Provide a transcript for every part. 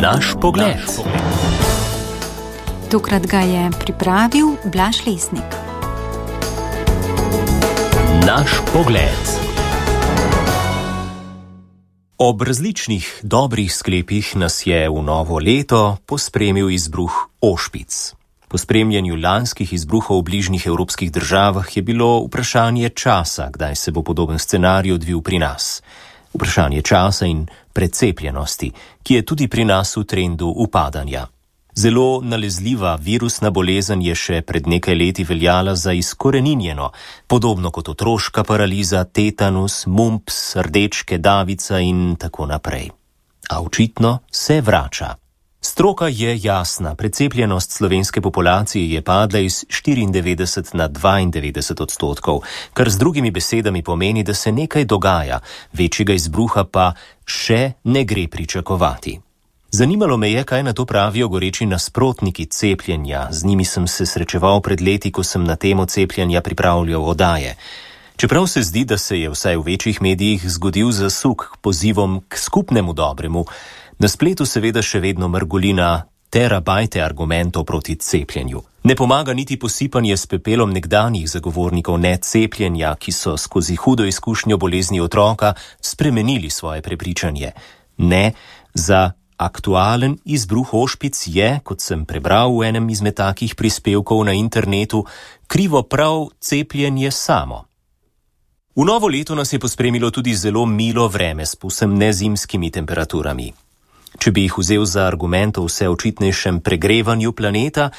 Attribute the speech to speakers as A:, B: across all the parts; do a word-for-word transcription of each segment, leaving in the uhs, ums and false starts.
A: Naš pogled.
B: Tokrat ga je pripravil Blaž Lesnik.
A: Naš pogled. Ob različnih dobrih sklepih nas je v novo leto pospremil izbruh ošpic. Po spremljanju lanskih izbruhov v bližnjih evropskih državah je bilo vprašanje časa, kdaj se bo podoben scenarij odvil pri nas. Vprašanje časa in precepljenosti, ki je tudi pri nas v trendu upadanja. Zelo nalezljiva virusna bolezen je še pred nekaj leti veljala za izkoreninjeno, podobno kot otroška paraliza, tetanus, mumps, rdečke, davica in tako naprej. A očitno se vrača. Stroka je jasna, precepljenost slovenske populacije je padla iz štiriindevetdeset na dvaindevetdeset odstotkov, kar z drugimi besedami pomeni, da se nekaj dogaja, večjega izbruha pa še ne gre pričakovati. Zanimalo me je, kaj na to pravijo goreči nasprotniki cepljenja. Z njimi sem se srečeval pred leti, ko sem na temo cepljenja pripravljal oddaje. Čeprav se zdi, da se je vsaj v večjih medijih zgodil zasuk k pozivom k skupnemu dobremu, na spletu seveda še vedno mrgolina terabajte argumentov proti cepljenju. Ne pomaga niti posipanje s pepelom nekdanjih zagovornikov necepljenja, ki so skozi hudo izkušnjo bolezni otroka spremenili svoje prepričanje. Ne, za aktualen izbruh ošpic je, kot sem prebral v enem izmed takih prispevkov na internetu, krivo prav cepljenje samo. V novo leto nas je pospremilo tudi zelo milo vreme s povsem nezimskimi temperaturami. Če bi jih vzel za argument o vse očitnejšem pregrevanju planeta,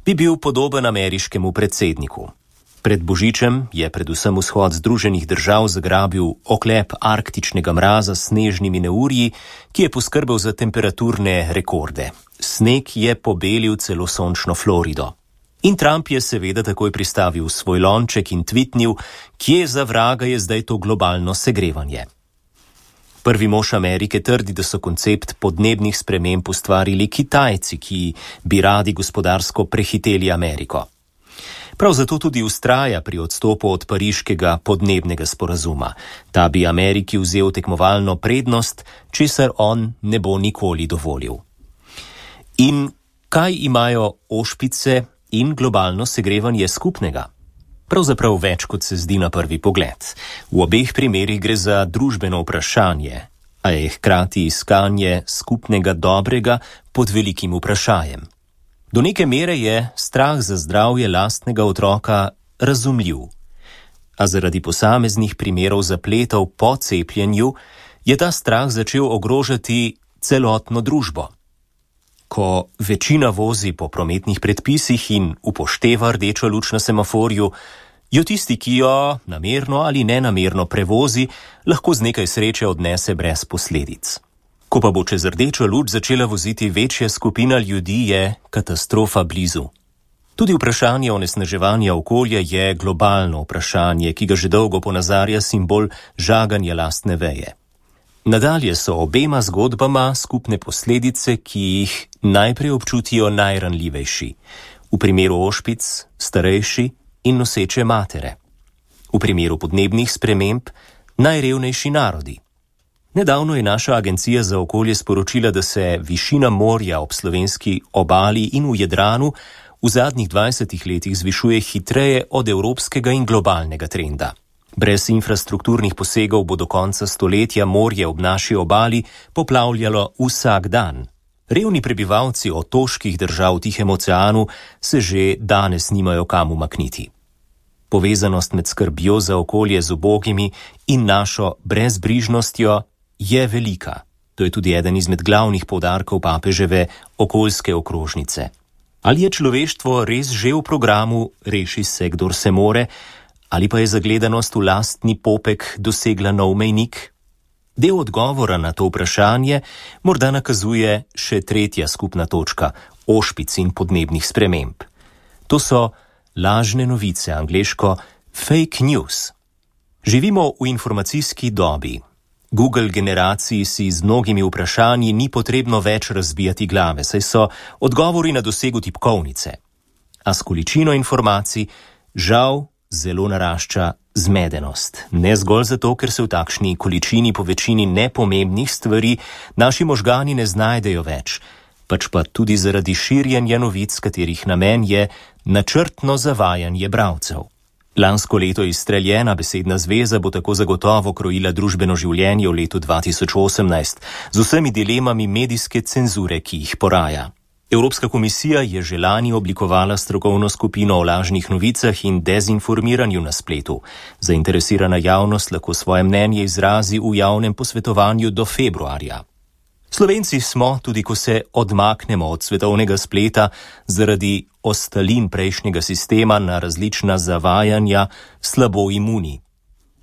A: bi bil podoben ameriškemu predsedniku. Pred Božičem je predvsem vzhod Združenih držav zagrabil oklep arktičnega mraza s snežnimi neurji, ki je poskrbel za temperaturne rekorde. Sneg je pobelil celo sončno Florido. In Trump je seveda takoj pristavil svoj lonček in tvitnil, kje za vraga je zdaj to globalno segrevanje. Prvi mož Amerike trdi, da so koncept podnebnih sprememb ustvarili Kitajci, ki bi radi gospodarsko prehiteli Ameriko. Prav zato tudi vztraja pri odstopu od pariškega podnebnega sporazuma. Ta bi Ameriki vzel tekmovalno prednost, česar on ne bo nikoli dovolil. In kaj imajo ošpice in globalno segrevanje skupnega? Pravzaprav več, kot se zdi na prvi pogled. V obeh primerih gre za družbeno vprašanje, a je hkrati iskanje skupnega dobrega pod velikim vprašanjem. Do neke mere je strah za zdravje lastnega otroka razumljiv, a zaradi posameznih primerov zapletov po cepljenju je ta strah začel ogrožati celotno družbo. Ko večina vozi po prometnih predpisih in upošteva rdečo luč na semaforju, jo tisti, ki jo namerno ali nenamerno prevozi, lahko z nekaj sreče odnese brez posledic. Ko pa bo čez rdečo luč začela voziti večja skupina ljudi, je katastrofa blizu. Tudi vprašanje onesnaževanja okolja je globalno vprašanje, ki ga že dolgo ponazarja simbol žaganja lastne veje. Nadalje so obema zgodbama skupne posledice, ki jih najprej občutijo najranljivejši. V primeru ošpic starejši in noseče matere. V primeru podnebnih sprememb najrevnejši narodi. Nedavno je naša agencija za okolje sporočila, da se višina morja ob slovenski obali in v Jadranu v zadnjih dvajsetih letih zvišuje hitreje od evropskega in globalnega trenda. Brez infrastrukturnih posegov bo do konca stoletja morje ob naši obali poplavljalo vsak dan. Revni prebivalci otoških držav v Tihem oceanu se že danes nimajo kam umakniti. Povezanost med skrbjo za okolje z ubogimi in našo brezbrižnostjo je velika. To je tudi eden izmed glavnih poudarkov papeževe okoljske okrožnice. Ali je človeštvo res že v programu Reši se, kdor se more, ali pa je zagledanost v lastni popek dosegla nov mejnik? Del odgovora na to vprašanje morda nakazuje še tretja skupna točka, ošpic in podnebnih sprememb. To so lažne novice, angleško fake news. Živimo v informacijski dobi. Google generaciji si z mnogimi vprašanji ni potrebno več razbijati glave, saj so odgovori na dosegu tipkovnice. A s količino informacij žal zelo narašča zmedenost. Ne zgolj zato, ker se v takšni količini po večini nepomembnih stvari naši možgani ne znajdejo več, pač pa tudi zaradi širjenja novic, katerih namen je načrtno zavajanje bralcev. Lansko leto izstreljena besedna zveza bo tako zagotovo krojila družbeno življenje v letu dva tisoč osemnajst z vsemi dilemami medijske cenzure, ki jih poraja. Evropska komisija je že lani oblikovala strokovno skupino o lažnih novicah in dezinformiranju na spletu. Zainteresirana javnost lahko svoje mnenje izrazi v javnem posvetovanju do februarja. Slovenci smo, tudi ko se odmaknemo od svetovnega spleta, zaradi ostalin prejšnjega sistema na različna zavajanja slabo imuni.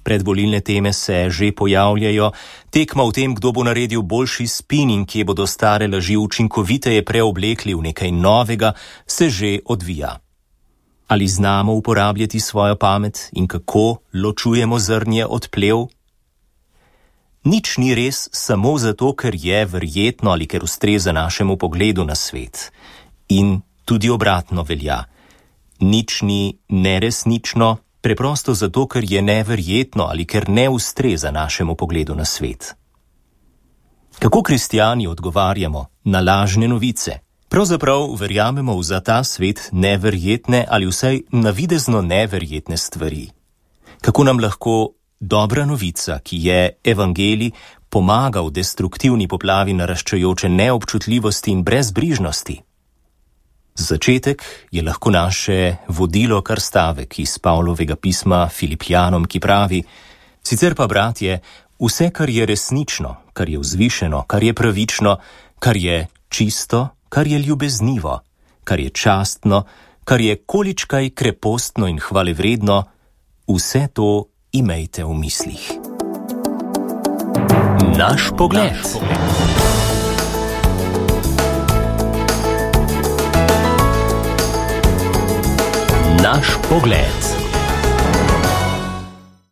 A: Predvolilne teme se že pojavljajo, tekma v tem, kdo bo naredil boljši spin in kje bodo stare laži učinkoviteje preoblekli v nekaj novega, se že odvija. Ali znamo uporabljati svojo pamet in kako ločujemo zrnje od plev? Nič ni res samo zato, ker je verjetno ali ker ustreza našemu pogledu na svet. In tudi obratno velja. Nič ni neresnično, preprosto zato, ker je neverjetno ali ker ne ustreza našemu pogledu na svet. Kako kristjani odgovarjamo na lažne novice? Pravzaprav verjamemo v za ta svet neverjetne ali vsaj navidezno neverjetne stvari. Kako nam lahko dobra novica, ki je evangelij, pomaga v destruktivni poplavi naraščajoče neobčutljivosti in brezbrižnosti? Začetek je lahko naše vodilo kar stavek iz Pavlovega pisma Filipljanom, ki pravi: sicer pa, bratje, vse, kar je resnično, kar je vzvišeno, kar je pravično, kar je čisto, kar je ljubeznivo, kar je častno, kar je količkaj krepostno in hvalevredno, vse to imejte v mislih. Naš pogled. Naš pogled. Naš pogled.